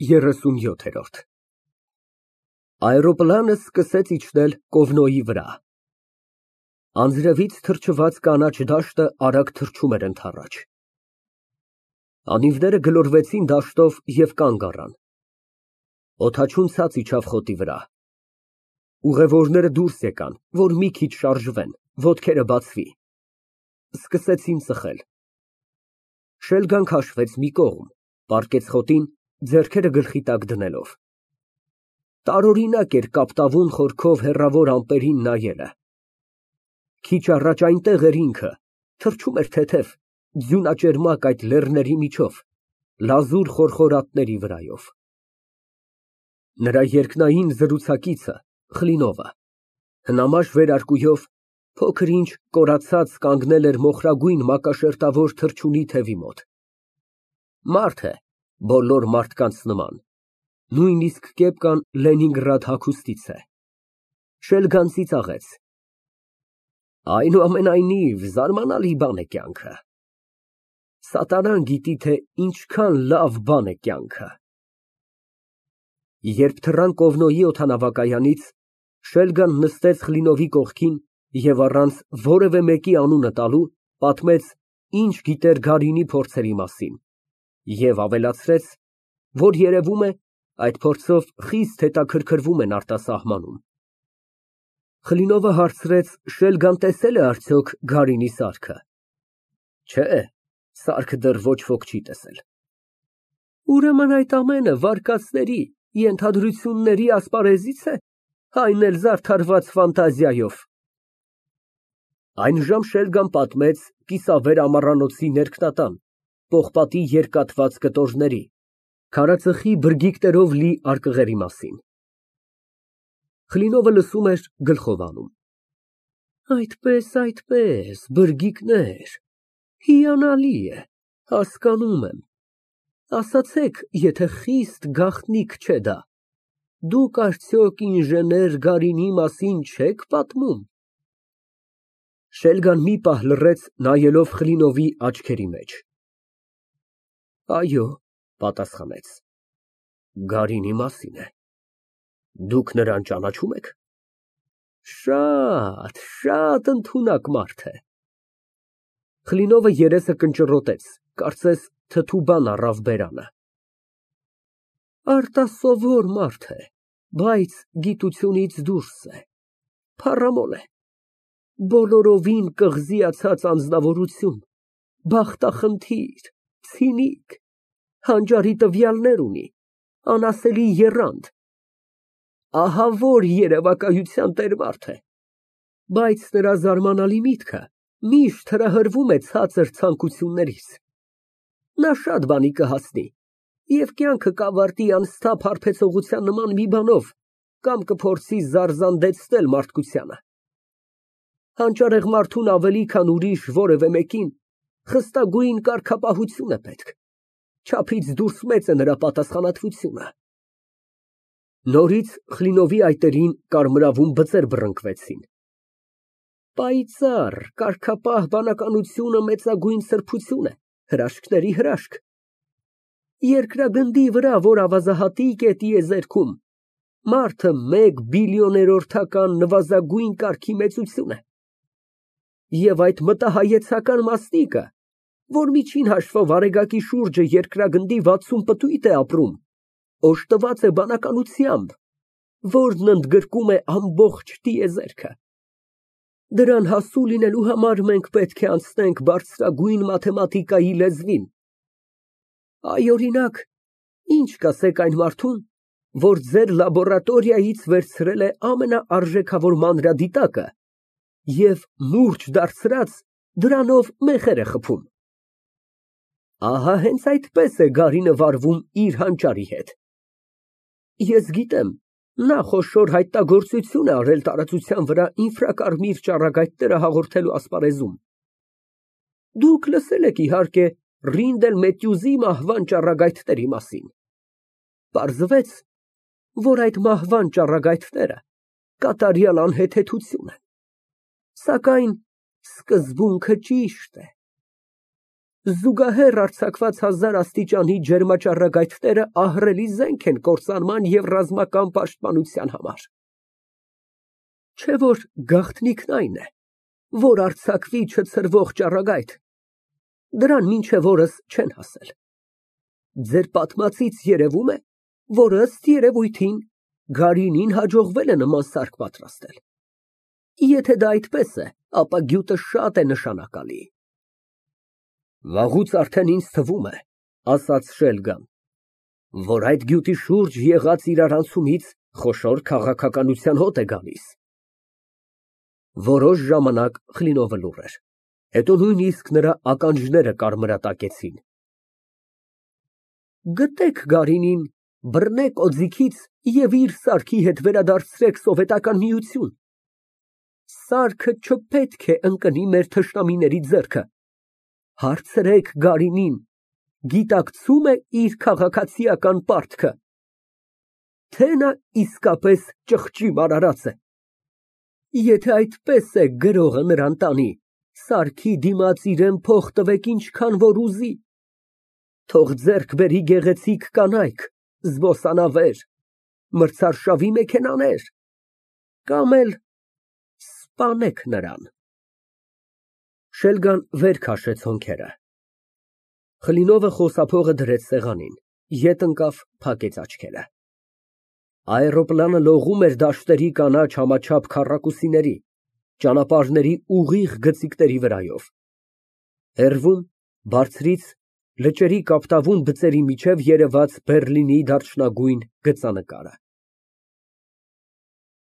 37 Այրոպլանը սկսեց իջնել Կովնոյի վրա։ Անձրևից թրջված կանաչ դաշտը արագ թռչում էր ընդառաջ։ Անիվները գլորվեցին դաշտով և կանգ առան։ Օդաչուն ցած իջավ խոտի վրա։ Ուղևորները դուրս եկան, որ մի քիչ շարժվեն, ոտքերը բացվի։ Սկսեցին ծխել։ Շելգան քաշվեց մի կողմ, պառկեց խոտին, ձեռքերը գլխի տակ դնելով։ Տարօրինակ էր կապտավուն խորքով հեռավոր ամպերին նայելը։ Քիչ առաջ այնտեղ էր ինքը, թռչում էր թեթև, ձյունաճերմակ այդ լեռների միջով, լազուր խորխորատների վրայով։ Նրա երկնային զրուցակիցը Խլինովը հնամաշ վերարկուով փոքր ինչ կորացած կանգնել էր մոխրագույն մակաշերտավոր թռչունի թևի մոտ։ Մարդ է, բոլոր մարդկանց նման, նույնիսկ կեպկան Լենինգրադ հագուստից է։ Շելգան ծիծաղեց։ Այնուամենայնիվ, զարմանալի բան է կյանքը։ Սատանան գիտի, թե ինչքան լավ բան է կյանքը։ Երբ թռան Կովնոյի օդանավակայանից, Շելգան նստեց Խլինովի կողքին և առանց որևէ մեկի անունը տալու, պատմեց, ինչ գիտեր Գարինի փորձերի մասին, և ավելացրեց, որ երևում է, այդ փորձով խիստ հետաքրքրվում են արտասահմանում։ Խլինովը հարցրեց Շելգան տեսել է արդյոք Գարինի սարքը։ Չէ, սարքը դեռ ոչ ոք չի տեսել։ Ուրեմն այդ ամենը վարկածների, ենթադրությունների ասպարեզի՞ց է, այն էլ զարդարված ֆանտազիայով։ Այնժամ Շելգան պատմեց կիսավեր ամառանոցի ներքնատան, պողպատի երկատված կտորների, քարածխի բրգիկներով լի արկղերի մասին։ Խլինովը լսում էր, գլխով անում։ Այդպես, բրգիկներ, հիանալի է, հասկանում եմ։ Ասացեք, եթե խիստ գաղտնիք չէ դա, դուք արդյոք ինժեներ Գարինի մասին չեք պատմում։ Շելգան մի պահ լռեց, նայելով Խլինովի աչքերի մեջ։ Այո, պատասխանեց, Գարինի մասին է։ Դուք նրան ճանաչում եք։ Շատ ընդունակ մարդ է։ Խլինովը երեսը կնճռոտեց, կարծես թթու բան առավ բերանը։ Արտասովոր մարդ է, բայց գիտությունից դուրս է, փառամոլ է, բոլորովին կղզիացած անձնավորություն, բախտախնդիր, ցինիկ, հանճարի տվյալներ ունի, անասելի եռանդ, ահավոր երևակայության տերմարդ է, բայց նրա զարմանալի միտքը միշտ հրահրվում է ցածր ցանկություններից։ Նա շատ բանի կհասնի և կյանքը կավարտի անսթափ հարբեցողության նման մի բանով կամ կփորձի զարզանդեցնել մարդկությանը։ Հանճարեղ մարդուն ավելի քան ուրիշ որևէ մեկին խստագույն կարգապահություն է պետք, չափից դուրս մեծ է նրա պատասխանատվությունը։ Նորից Խլինովի այտերին կարմրավուն բծեր բռնկվեցին։ Պայծառ, կարգապահ բանականությունը մեծագույն սրբություն է, հրաշքների հրաշք։ Երկրագնդի վրա, որ ավազահատիկ է տիեզերքում, մարդը 1 բիլիոներորդական նվազագույն կարգի մեծություն է։ Եվ այդ մտահայեցական մասնիկը, որ միջին հաշվով արեգակի շուրջը երկրագնդի 60 պտույտ է ապրում, օժտված է բանականությամբ, որն ընդգրկում է ամբողջ տիեզերքը։ Դրան հասու լինելու համար մենք պետք է անցնենք բարձրագույն մաթեմատիկայի լեզվին։ Այ, օրինակ, ինչ կասեք այն մարդուն, որ ձեր լաբորատորիայից վերցրել է ամենաարժեքավոր մանրադիտակը և մուրճ դարձրած դրանով մեխեր է խփում։ Ահա հենց այդպես է Գարինը վարվում իր հանճարի հետ։ Ես գիտեմ, նա խոշոր հայտնագործություն է արել տարածության վրա ինֆրակարմիր ճառագայթները հաղորդելու ասպարեզում։ Դուք լսել եք, իհարկե, Ռինդել Մետյուզի մահվան ճառագայթների մասին։ Պարզվեց, որ այդ մահվան ճառագայթները կատարյալ անհեթեթություն են։ Սակայն սկզբունքը ճիշտ է։ Զուգահեռ արձակված 1000 աստիճանի ջերմաճառագայթները ահռելի զենք են կործանման և ռազմական պաշտպանության համար։ Չէ՞ որ գաղտնիքն այն է, որ արձակվի չցրվող ճառագայթ, դրան մինչև օրս չեն հասել։ Ձեր պատմածից երևում է, որ ըստ երևույթին Գարինին հաջողվել է նման սարք պատրաստել։ Եթե դա այդպես է, ապա գյուտը շատ է նշանակալի։ Վաղուց արդեն ինձ թվում է, ասաց Շելգան, որ այդ գյուտի շուրջ եղած իրարանցումից խոշոր քաղաքականության հոտ է գալիս։ Որոշ ժամանակ Խլինովը լուռ էր, հետո նույնիսկ նրա ականջները կարմրատակեցին։ Գտեք Գարինին, բռնեք օձիքից և իր սարքի հետ վերադարձրեք Սովետական Միություն։ Սարքը չպետք է ընկնի մեր թշնամիների ձեռքը։ Հարցրեք Գարինին, գիտակցո՞ւմ է իր քաղաքացիական պարտքը, թե նա իսկապես ճղճի արարած է։ Եթե այդպես է գրողը նրան տանի, սարքի դիմաց իրան փող տվեք ինչքան որ ուզի, թող ձեռք բերի գեղեցիկ կանայք, զբոսանավեր, մրցարշավի մեքենաներ, կամ էլ սպանեք նրան։ Շելգան վեր քաշեց հոնքերը։ Խլինովը խոսափողը դրեց սեղանին, ետ ընկավ, փակեց աչքերը։ Աէրոպլանը լողում էր դաշտերի կանաչ համաչափ քառակուսիների, ճանապարհների ուղիղ գծիկների վրայով։ Հեռվում, բարձրից, լճերի կապտավուն բծերի միջև երևաց Բեռլինի դարչնագույն գծանկարը։